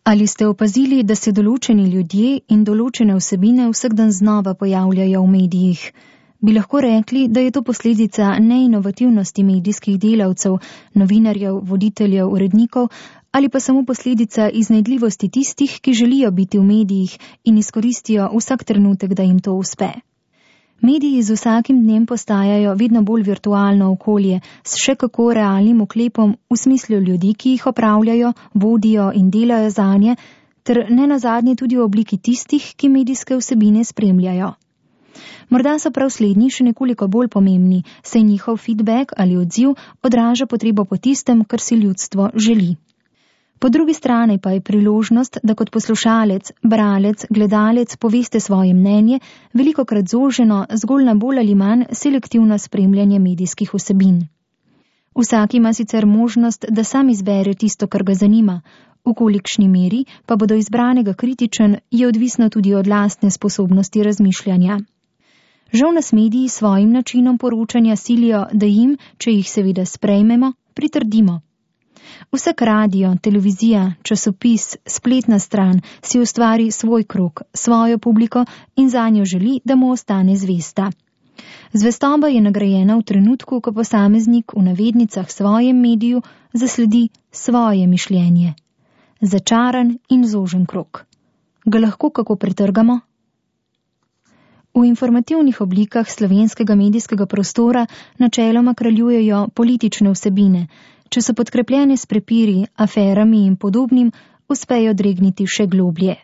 Ali ste opazili, da se določeni ljudje in določene vsebine vsak dan znova pojavljajo v medijih? Bi lahko rekli, da je to posledica neinovativnosti medijskih delavcev, novinarjev, voditeljev, urednikov, ali pa samo posledica iznajdljivosti tistih, ki želijo biti v medijih in izkoristijo vsak trenutek, da jim to uspe. Mediji z vsakim dnem postajajo vedno bolj virtualno okolje s še kako realnim oklepom v smislu ljudi, ki jih opravljajo, vodijo in delajo zanje, ter nenazadnje tudi v obliki tistih, ki medijske vsebine spremljajo. Morda so prav slednji še nekoliko bolj pomembni, saj njihov feedback ali odziv odraža potrebo po tistem, kar si ljudstvo želi. Po drugi strani pa je priložnost, da kot poslušalec, bralec, gledalec poveste svoje mnenje, velikokrat zoženo zgolj na bolj ali manj selektivno spremljanje medijskih vsebin. Vsak ima sicer možnost, da sam izbere tisto, kar ga zanima, v kolikšni meri pa bo do izbranega kritičen, je odvisno tudi od lastne sposobnosti razmišljanja. Žal nas mediji s svojim načinom poročanja silijo, da jim, če jih seveda sprejmemo, pritrdimo. Vsak radio, televizija, časopis, spletna stran si ustvari svoj krog, svojo publiko in zanjo želi, da mu ostane zvesta. Zvestoba je nagrajena v trenutku, ko posameznik v navednicah svojem mediju zasledi svoje mišljenje. Začaran in zožen krog. Ga lahko kako pretrgamo? V informativnih oblikah slovenskega medijskega prostora načeloma kraljujejo politične vsebine, če so podkrepljene s prepiri, aferami in podobnim, uspejo dregniti še globlje.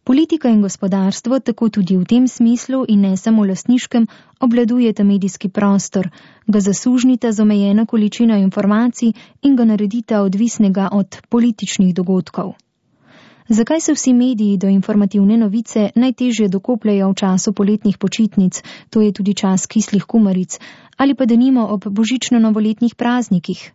Politika in gospodarstvo tako tudi v tem smislu in ne samo lastniškem obvladujeta medijski prostor, ga zasužnita z omejeno količino informacij in ga naredita odvisnega od političnih dogodkov. Zakaj se vsi mediji do informativne novice najtežje dokopljajo v času poletnih počitnic, to je tudi čas kislih kumaric, ali pa denimo ob božično-novoletnih praznikih?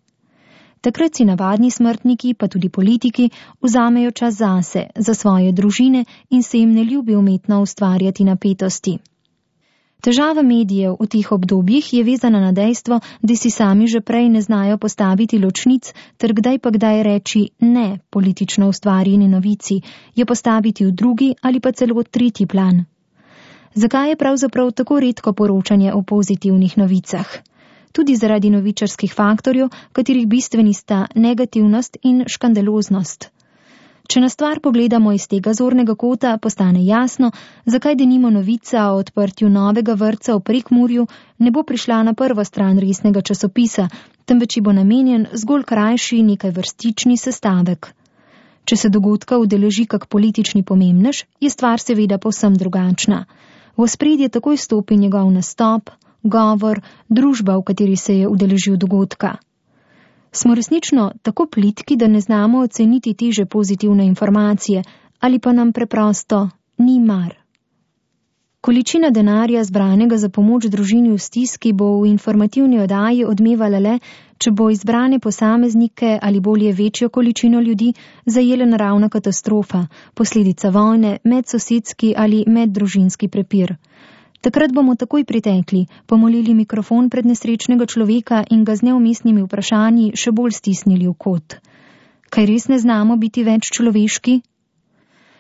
Takrat si navadni smrtniki, pa tudi politiki, vzamejo čas zase, za svoje družine in se jim ne ljubi umetno ustvarjati napetosti. Težava medijev v teh obdobjih je vezana na dejstvo, da si sami že prej ne znajo postaviti ločnic, ter kdaj pa kdaj reči ne politično ustvarjeni novici, je postaviti v drugi ali pa celo tretji plan. Zakaj je pravzaprav tako redko poročanje o pozitivnih novicah? Tudi zaradi novičarskih faktorjev, katerih bistveni sta negativnost in škandaloznost. Če na stvar pogledamo iz tega zornega kota, postane jasno, zakaj denimo novica o odprtju novega vrtca v Prekmurju ne bo prišla na prvo stran resnega časopisa, temveč bo namenjen zgolj krajši nekaj vrstični sestavek. Če se dogodka udeleži kak politični pomembnež, je stvar seveda povsem drugačna. V ospredje takoj stopi njegov nastop, govor, družba, v kateri se je udeležil dogodka. Smo resnično tako plitki, da ne znamo oceniti teže pozitivne informacije, ali pa nam preprosto ni mar. Količina denarja zbranega za pomoč družini v stiski bo v informativni oddaji odmevala le, če bo izbrane posameznike ali bolje večjo količino ljudi zajela naravna katastrofa, posledica vojne, medsosedski ali meddružinski prepir. Takrat bomo takoj pritekli, pomolili mikrofon pred nesrečnega človeka in ga z neumestnimi vprašanji še bolj stisnili v kot. Kaj res ne znamo biti več človeški?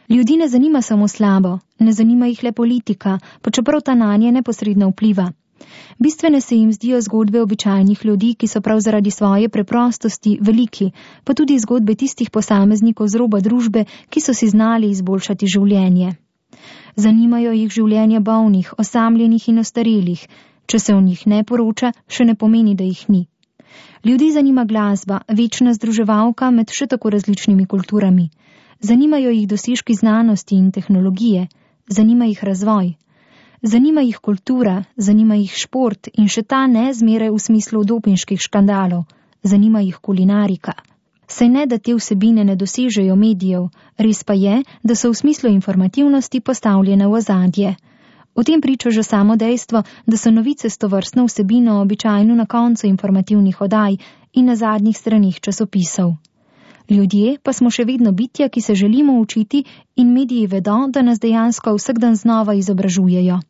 Ljudi ne zanima samo slabo, ne zanima jih le politika, pa čeprav ta nanje neposredno vpliva. Bistvene se jim zdijo zgodbe običajnih ljudi, ki so prav zaradi svoje preprostosti veliki, pa tudi zgodbe tistih posameznikov z roba družbe, ki so si znali izboljšati življenje. Zanimajo jih življenja bolnih, osamljenih in ostarelih. Če se o njih ne poroča, še ne pomeni, da jih ni. Ljudi zanima glasba, večna združevalka med še tako različnimi kulturami. Zanimajo jih dosežki znanosti in tehnologije, zanima jih razvoj. Zanima jih kultura, zanima jih šport in še ta ne zmeraj v smislu dopinških škandalov. Zanima jih kulinarika. Saj ne, da te vsebine ne dosežejo medijev, res pa je, da so v smislu informativnosti postavljene v ozadje. O tem priča že samo dejstvo, da so novice s tovrstno vsebino običajno na koncu informativnih oddaj in na zadnjih straneh časopisov. Ljudje pa smo še vedno bitja, ki se želimo učiti in mediji vedo, da nas dejansko vsak dan znova izobražujejo.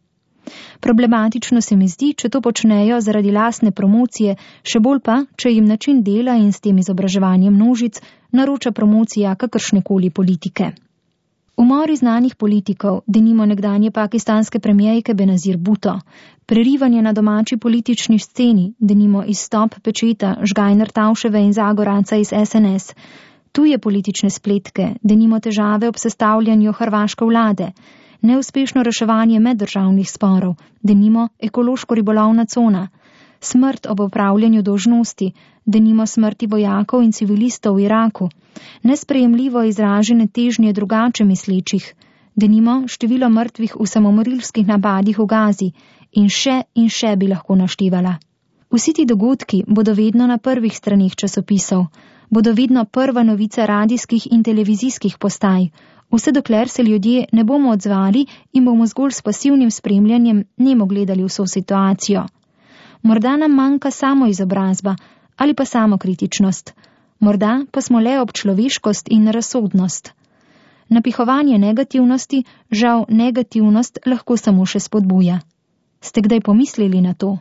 Problematično se mi zdi, če to počnejo zaradi lastne promocije, še bolj pa, če jim način dela in s tem izobraževanjem množic naroča promocija kakršnekoli politike. Umori znanih politikov, denimo nekdanje pakistanske premierke Benazir Bhutto, prerivanje na domači politični sceni, denimo izstop Pečeta, Žgajner Tavševe in Zagoranca iz SNS, tuje politične spletke, denimo težave ob sestavljanju hrvaške vlade, neuspešno reševanje meddržavnih sporov, denimo ekološko-ribolovna cona, smrt ob opravljanju dolžnosti, denimo smrti vojakov in civilistov v Iraku, nesprejemljivo izražene težnje drugače mislečih, denimo število mrtvih v samomorilskih napadih v Gazi in še bi lahko naštevala. Vsi ti dogodki bodo vedno na prvih straneh časopisov, bodo vedno prva novica radijskih in televizijskih postaj, vse dokler se ljudje ne bomo odzvali in bomo zgolj s pasivnim spremljanjem nemo gledali vso situacijo. Morda nam manjka samoizobrazba ali pa samokritičnost, morda pa smo le občloveškost in razsodnost. Napihovanje negativnosti, žal negativnost lahko samo še spodbuja. Ste kdaj pomislili na to?